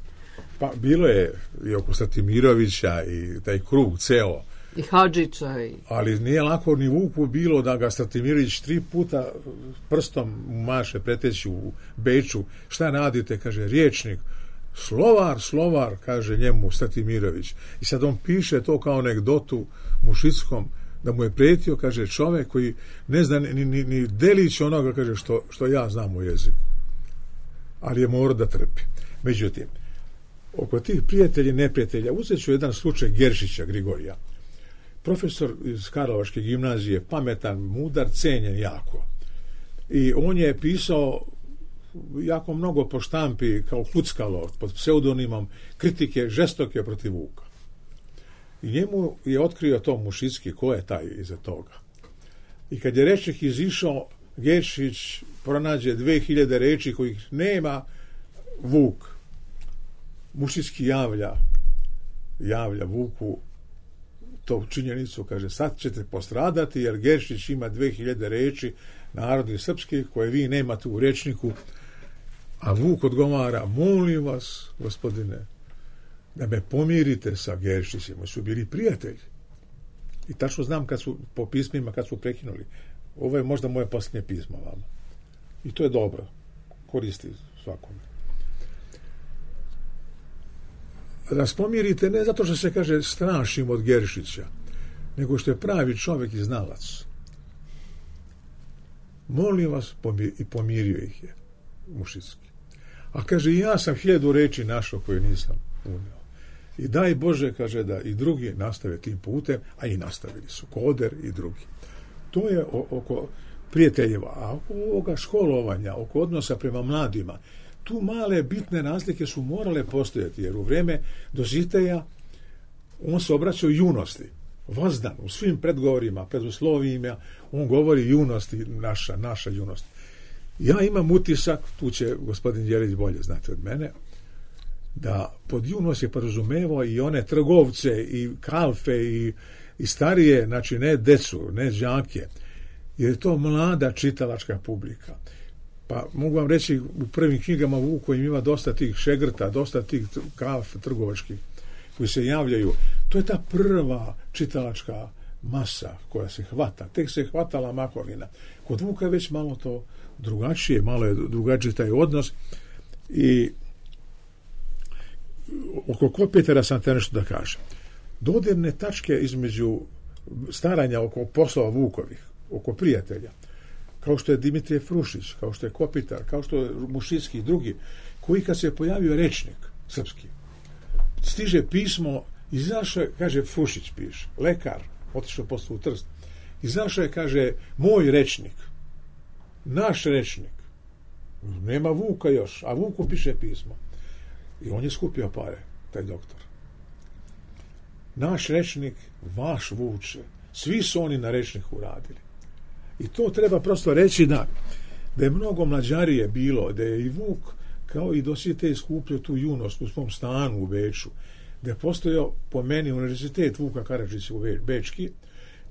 [SPEAKER 4] Pa bilo je i oko Stratimirovića i taj krug ceo.
[SPEAKER 3] I Hadžića. I...
[SPEAKER 4] Ali nije lako ni Vuku bilo da ga Stratimirović tri puta prstom maše preteći u Beču. Šta radite, kaže, riječnik. Slovar, slovar, kaže njemu Stratimirović. I sad on piše to kao anegdotu Mušickom, da mu je prijetio, kaže, čovjek koji ne zna ni, ni, ni delić onoga, kaže, što, što ja znam u jeziku. Ali je morao da trpi. Međutim, oko tih prijatelja i neprijatelja, uzet ću jedan slučaj Geršića Grigorija. Profesor iz Karlovačke gimnazije, pametan, mudar, cenjen jako. I on je pisao jako mnogo po štampi kao Kuckalo pod pseudonimom kritike žestoke protiv Vuka. I njemu je otkrio to Mušicki, ko je taj iza toga. I kad je rečnik izišao, Geršić pronađe dve hiljade reči kojih nema Vuk. Mušički javlja javlja Vuku to činjenicu, kaže, sad ćete postradati jer Geršić ima dve hiljade reči narodni srpski koje vi nemate u rečniku, a Vuk odgovara, molim vas, gospodine, da me pomirite sa Geršićem, oni su bili prijatelji. I tačno znam kad su, po pismima, kad su prekinuli. Ovo je možda moje posljednje pismo vama. I to je dobro. Koristi svakome. Da nas pomirite ne zato što se kaže strašim od Geršića, nego što je pravi čovjek i znalac. Molim vas, pomir, i pomirio ih je Mušički. A kaže, ja sam hiljadu reči našao koje nisam unio. I daj Bože, kaže, da i drugi nastave tim putem, a i nastavili su, Koder i drugi. To je oko prijateljeva, a oko ovoga školovanja, oko odnosa prema mladima, tu male bitne razlike su morale postojati, jer u vreme Dositeja on se obraćao junosti, vazdan, u svim predgovorima, preduslovijima, on govori junosti, naša, naša junost. Ja imam utisak, tu će gospodin Đelić bolje znati od mene, da pod junost je podrazumevao i one trgovce i kalfe i, i starije, znači ne decu, ne đake, jer je to mlada čitalačka publika. Pa mogu vam reći, u prvim knjigama Vuku ima dosta tih šegrta, dosta tih kalf trgovačkih koji se javljaju. To je ta prva čitalačka masa koja se hvata. Tek se hvatala makovina. Kod Vuka je već malo to drugačije, malo je drugačiji taj odnos. I oko Kopitara sam te nešto da kažem. Dodirne tačke između staranja oko poslova Vukovih, oko prijatelja, kao što je Dimitrije Frušić, kao što je Kopitar, kao što je Mušički i drugi, koji kad se je pojavio rečnik srpski, stiže pismo, izašao je, kaže, Frušić piše, lekar, otišao posle u Trst, izašao je, kaže, moj rečnik, naš rečnik, nema Vuka još, a Vuku piše pismo. I on je skupio pare, taj doktor. Naš rečnik, vaš Vuče, svi su oni na rečniku radili. I to treba prosto reći da, da je mnogo mlađarije bilo, da je i Vuk kao i Dositej skupljio tu junost u svom stanu u Beču, da je postojao po meni univerzitet Vuka Karadžića u Bečki,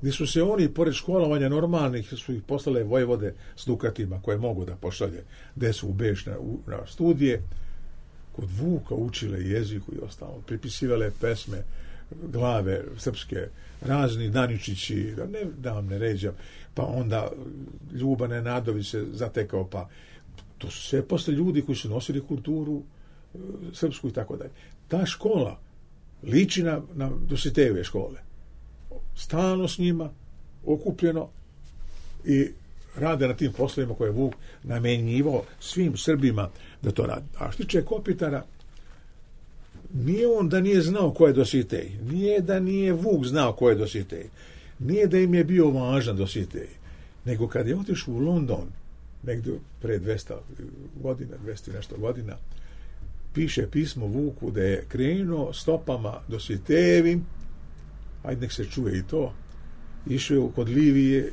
[SPEAKER 4] gdje su se oni, pored školovanja normalnih, su ih poslale vojvode s dukatima koje mogu da pošalje, gdje su u Beč na, na studije, kod Vuka učile jeziku i ostalo, pripisivale pesme, glave srpske, razni Daničići, da, ne, da vam ne ređam, pa onda Ljuba Nenadović se zatekao, pa to su sve posle ljudi koji su nosili kulturu e, srpsku i tako dalje. Ta škola liči na, na Dositejeve škole. Stalno s njima, okupljeno i rade na tim poslovima koje je Vuk namenjivao svim Srbima da to radi. A što tiče Kopitara, nije on da nije znao ko je Dositej, nije da nije Vuk znao ko je Dositej, nije da im je bio važan Dositej, nego kad je otišao u London, negdje pre dvesta godina, dvesta nešto godina, piše pismo Vuku da je krenuo stopama Dositejevim, ajde nek se čuje i to, išao kod Livije,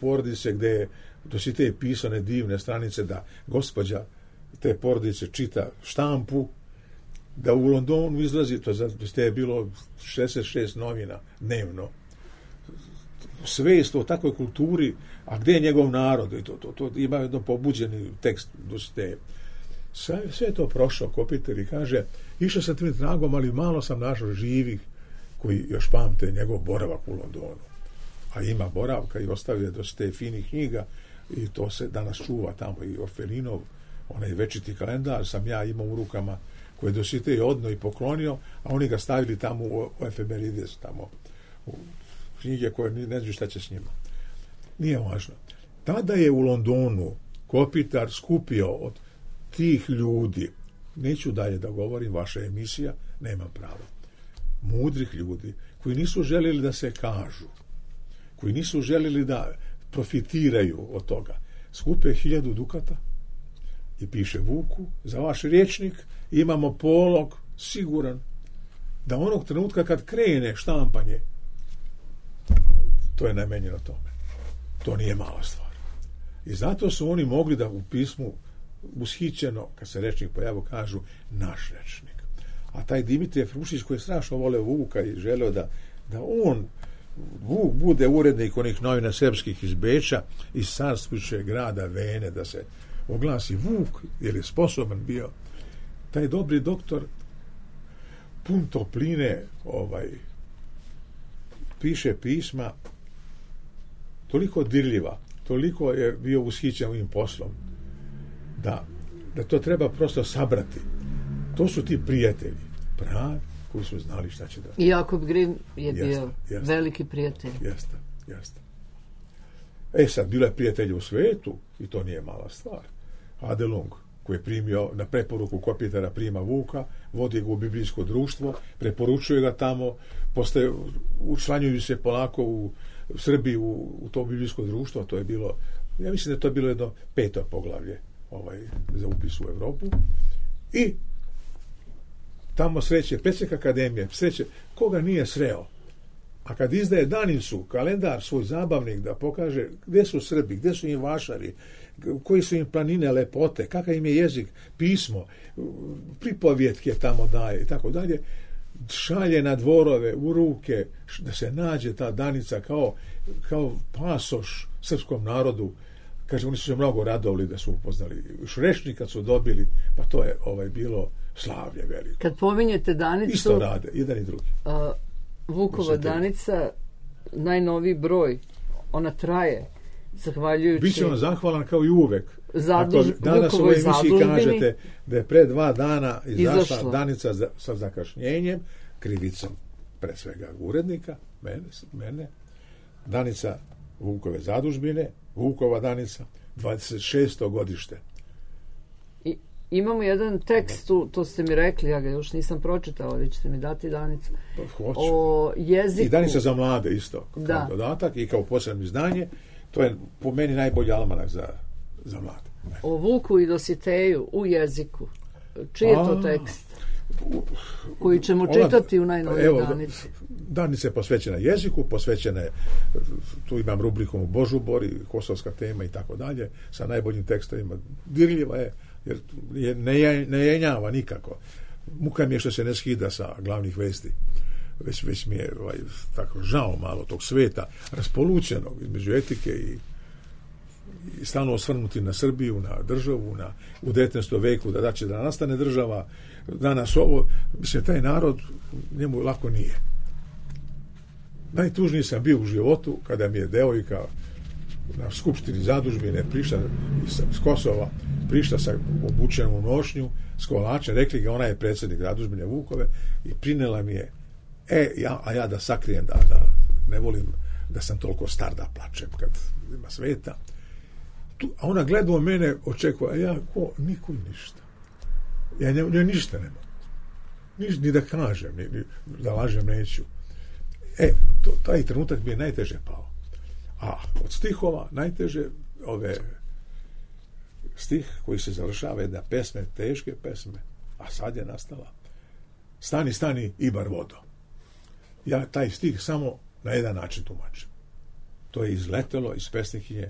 [SPEAKER 4] porodice gde je Dositej pisao ne divne stranice da gospođa te porodice čita štampu, da u Londonu izlazi, to je bilo šezdeset šest novina dnevno, svest o takvoj kulturi, a gde je njegov narod, i to, to, to ima jedno pobuđeni tekst Dositejev. Sve, sve je to prošao Kopitar i kaže, išao sam tim tragom, ali malo sam našao živih koji još pamte njegov boravak u Londonu. A ima boravka i ostavio Dositej finih knjiga i to se danas čuva tamo i Orfelinov, onaj večiti kalendar sam ja imao u rukama koje je Dositej odno i poklonio, a oni ga stavili tamo u, u efemerides, tamo u knjige koje ne znam šta će s njima. Nije važno. Tada je u Londonu Kopitar skupio od tih ljudi, neću dalje da govorim, vaša emisija, nemam pravo, mudrih ljudi, koji nisu željeli da se kažu, koji nisu željeli da profitiraju od toga. Skupe hiljadu dukata i piše Vuku, za vaš rječnik imamo polog siguran da onog trenutka kad krene štampanje, to je namenjeno tome. To nije mala stvar. I zato su oni mogli da u pismu ushićeno, kad se rečnik pojavio, kažu naš rečnik. A taj Dimitrije Frušić koji je strašno voleo Vuka i želeo da, da on Vuk bude urednik onih novina srpskih iz Beča, iz Sarspiće grada Vene, da se oglasi Vuk, jer je sposoban bio. Taj dobri doktor pun topline ovaj, piše pisma toliko dirljiva, toliko je bio ushićen ovim poslom da, da to treba prosto sabrati. To su ti prijatelji pravi koji su znali šta će da...
[SPEAKER 3] I Jakob Grim je
[SPEAKER 4] jeste,
[SPEAKER 3] bio
[SPEAKER 4] jeste,
[SPEAKER 3] veliki prijatelj.
[SPEAKER 4] Jeste, jeste. E sad, bilo je prijatelja u svetu i to nije mala stvar. Adelung, koji je primio na preporuku Kopitara prima Vuka, vodi ga u biblijsko društvo, preporučuje ga tamo, postaje, učlanjuju se polako u Srbiji u, u to biblijsko društvo, to je bilo, ja mislim da je to bilo jedno peto poglavlje ovaj, za upis u Evropu. I tamo sreće predsjednik akademije, sreće koga nije sreo. A kad izdaje danicu, kalendar, svoj zabavnik da pokaže gdje su Srbi, gdje su im vašari, koji su im planine lepote, kakav im je jezik, pismo, pripovjetke tamo daje i tako dalje, šalje na dvorove, u ruke, da se nađe ta danica kao, kao pasoš srpskom narodu. Kaže, oni su se mnogo radovali da su upoznali. Šrešnik kad su dobili, pa to je ovaj bilo slavlje veliko.
[SPEAKER 3] Kad pominjete danicu...
[SPEAKER 4] Isto rade, jedan i drugi.
[SPEAKER 3] A, Vukova danica, najnoviji broj, ona traje, zahvaljujući...
[SPEAKER 4] Biće on zahvalan kao i uvek.
[SPEAKER 3] Zaduž,
[SPEAKER 4] Ako danas u ovoj emisiji kažete da je pre dva dana izašla
[SPEAKER 3] izašla
[SPEAKER 4] danica za, sa zakašnjenjem, krivicom pre svega urednika, mene, mene, danica Vukove zadužbine, Vukova danica, dvadeset šesto godište.
[SPEAKER 3] I, imamo jedan tekst, tu, to ste mi rekli, ja ga još nisam pročitao, ali ćete mi dati danicu.
[SPEAKER 4] Hoću.
[SPEAKER 3] O jeziku.
[SPEAKER 4] I danica za mlade isto, kao
[SPEAKER 3] da.
[SPEAKER 4] dodatak i kao posebno izdanje. To je po meni najbolji almanak za, za mlade.
[SPEAKER 3] O Vuku i Dositeju u jeziku. Čiji je to tekst? Koji ćemo čitati u najnovijoj danici.
[SPEAKER 4] Danica je posvećena jeziku, posvećena je, tu imam rubriku u Božubor i kosovska tema i tako dalje, sa najboljim tekstovima. Dirljiva je, jer je, ne, ne jenjava nikako. Muka mi je što se ne skida sa glavnih vesti. Već, već mi je ovaj, tako žao malo tog sveta, raspolućenog između etike i, i stalno osvrnuti na Srbiju, na državu, na, u devetnaestom veku, da daće da nastane država. Danas ovo, mislim, taj narod njemu lako nije. Najtužniji sam bio u životu kada mi je devojka na skupštini zadužbine prišla iz Kosova, prišla sa obučenom u nošnju s kolačem, rekli ga, ona je predsjednik zadužbine Vukove i prinela mi je, e, ja, a ja da sakrijem da, da ne volim da sam toliko star da plačem kad ima sveta. Tu, a ona gleda u mene, očekuje, a ja ko, niko ništa. Ja njoj ne, ništa nema. Ni, ni da kažem, ni, ni da lažem neću. E, to, taj trenutak mi je najteže pao. A od stihova najteže ove stih koji se završava jedna pesme, teške pesme, a sad je nastala Stani, stani, Ibar vodo. Ja taj stih samo na jedan način tumačim. To je izletelo iz pesnikinje.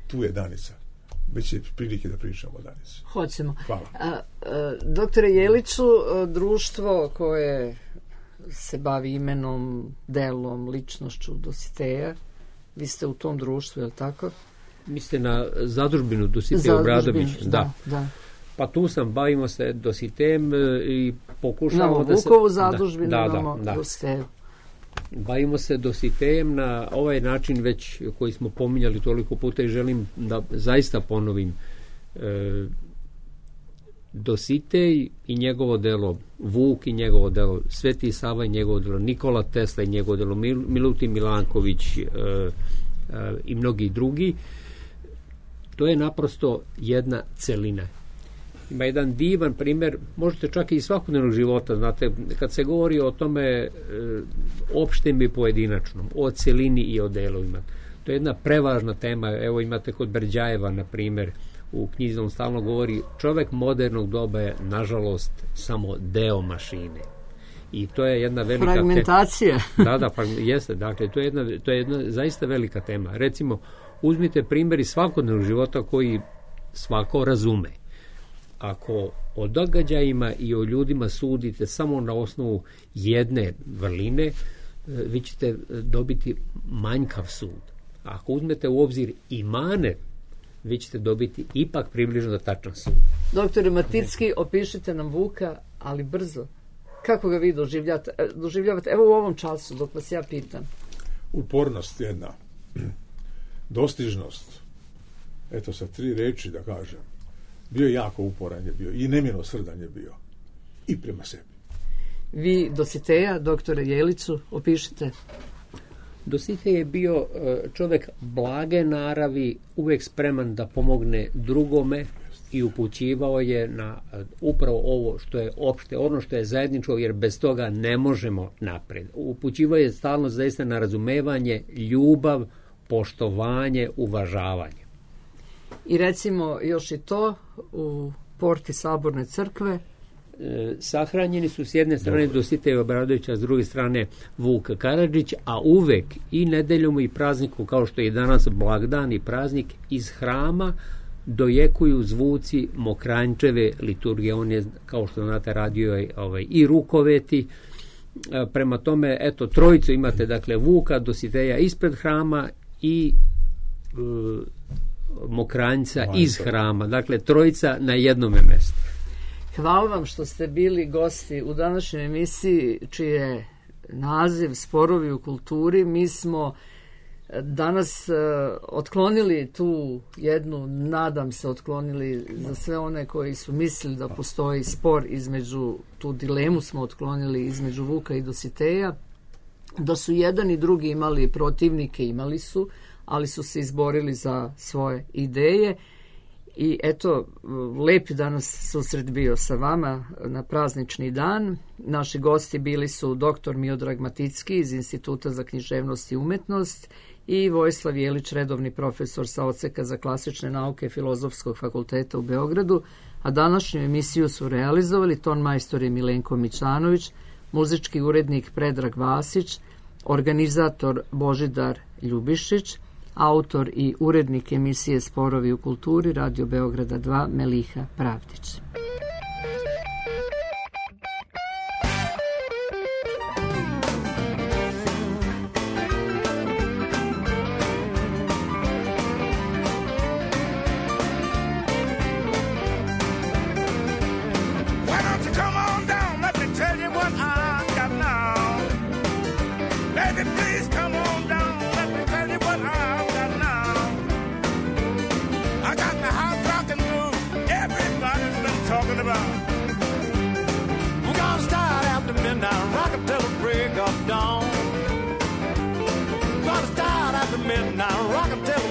[SPEAKER 4] Tu je danica. Već je prilike da pričamo o danici.
[SPEAKER 3] Hoćemo.
[SPEAKER 4] Hvala.
[SPEAKER 3] A, a, doktore Jeliću, društvo koje se bavi imenom, delom, ličnošću Dositeja, vi ste u tom društvu, je li tako?
[SPEAKER 5] Mislite na zadužbinu Dositej Obradović?
[SPEAKER 3] Da,
[SPEAKER 5] da.
[SPEAKER 3] da.
[SPEAKER 5] Pa tu sam, bavimo se Dositejem i pokušavamo
[SPEAKER 3] no,
[SPEAKER 5] da se...
[SPEAKER 3] Vukovu zadužbinu
[SPEAKER 5] da,
[SPEAKER 3] imamo
[SPEAKER 5] da, da.
[SPEAKER 3] Dositeju.
[SPEAKER 5] Bavimo se Dositejem na ovaj način već koji smo pominjali toliko puta i želim da zaista ponovim. E, Dositej i njegovo delo, Vuk i njegovo delo, Sveti Sava i njegovo delo, Nikola Tesla i njegovo delo, Mil, Milutin Milanković e, e, i mnogi drugi, to je naprosto jedna celina. Ima jedan divan primjer, možete čak i iz svakodnevnog života, znate, kad se govori o tome e, opštem i pojedinačnom, o celini i o delovima. To je jedna prevažna tema, evo imate kod Berđajeva, na primjer, u knjizi on stalno govori, čovjek modernog doba je, nažalost, samo deo mašine. I to je jedna velika
[SPEAKER 3] fragmentacija.
[SPEAKER 5] Tema. Da, da, frag, jeste, dakle, to je, jedna, to je jedna zaista velika tema. Recimo, uzmite primjer iz svakodnevnog života koji svako razume. ako o događajima i o ljudima sudite samo na osnovu jedne vrline, vi ćete dobiti manjkav sud. Ako uzmete u obzir i mane, vi ćete dobiti ipak približno tačan sud.
[SPEAKER 3] Doktore Maticki, opišite nam Vuka, ali brzo. Kako ga vi doživljavate? doživljavate? Evo u ovom času, dok vas ja pitam.
[SPEAKER 4] Upornost jedna. Dostižnost. Eto, sa tri reči da kažem. Bio je jako uporan je bio i nemilosrdan je bio. I prema sebi.
[SPEAKER 3] Vi Dositeja, doktore Jeliću, opišite.
[SPEAKER 5] Dositej je bio čovjek blage naravi, uvijek spreman da pomogne drugome i upućivao je na upravo ovo što je opšte, ono što je zajedničko, jer bez toga ne možemo napred. Upućivao je stalno zaista na razumevanje, ljubav, poštovanje, uvažavanje.
[SPEAKER 3] I recimo još i to u porti Saborne crkve.
[SPEAKER 5] E, sahranjeni su s jedne strane Dositej Obradović, a s druge strane Vuk Karadžić, a uvek i nedeljom i prazniku, kao što je danas blagdan i praznik, iz hrama dojekuju zvuci Mokranjčeve liturgije. On je, kao što znate, radio je ovaj, i rukoveti. E, prema tome, eto, trojicu imate, dakle, Vuka, Dositeja ispred hrama i e, Mokranjca iz hrama. Dakle, trojica na jednome mjestu.
[SPEAKER 3] Hvala vam što ste bili gosti u današnjoj emisiji, čiji je naziv Sporovi u kulturi. Mi smo danas uh, otklonili tu jednu, nadam se, otklonili za sve one koji su mislili da postoji spor između, tu dilemu smo otklonili između Vuka i Dositeja, da su jedan i drugi imali protivnike, imali su, ali su se izborili za svoje ideje. I eto, lep je danas susret bio sa vama na praznični dan. Naši gosti bili su doktor Miodrag Maticki iz Instituta za književnost i umetnost i Vojislav Jelić, redovni profesor sa odseka za klasične nauke Filozofskog fakulteta u Beogradu, a današnju emisiju su realizovali ton majstor Milenko Mićanović, muzički urednik Predrag Vasić, organizator Božidar Ljubišić, autor i urednik emisije Sporovi u kulturi Radio Beograda dva Meliha Pravdić.
[SPEAKER 8] Midnight rock until